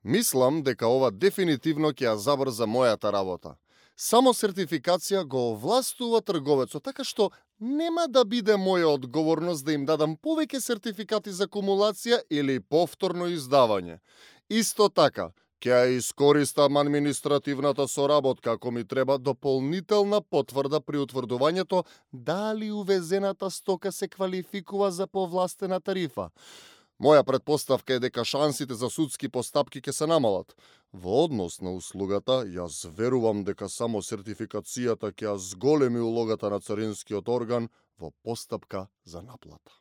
Мислам дека ова дефинитивно ќе ја забрза мојата работа. Само сертификација го овластува трговецот, така што нема да биде моја одговорност да им дадам повеќе сертификати за кумулација или повторно издавање. Исто така, ќе ја искористам административната соработка ако ми треба дополнителна потврда при утврдувањето дали увезената стока се квалификува за повластена тарифа. Моја предпоставка е дека шансите за судски постапки ќе се намалат. Во однос на услугата, јас верувам дека само сертификацијата ќе ја зголеми улогата на царинскиот орган во постапка за наплата.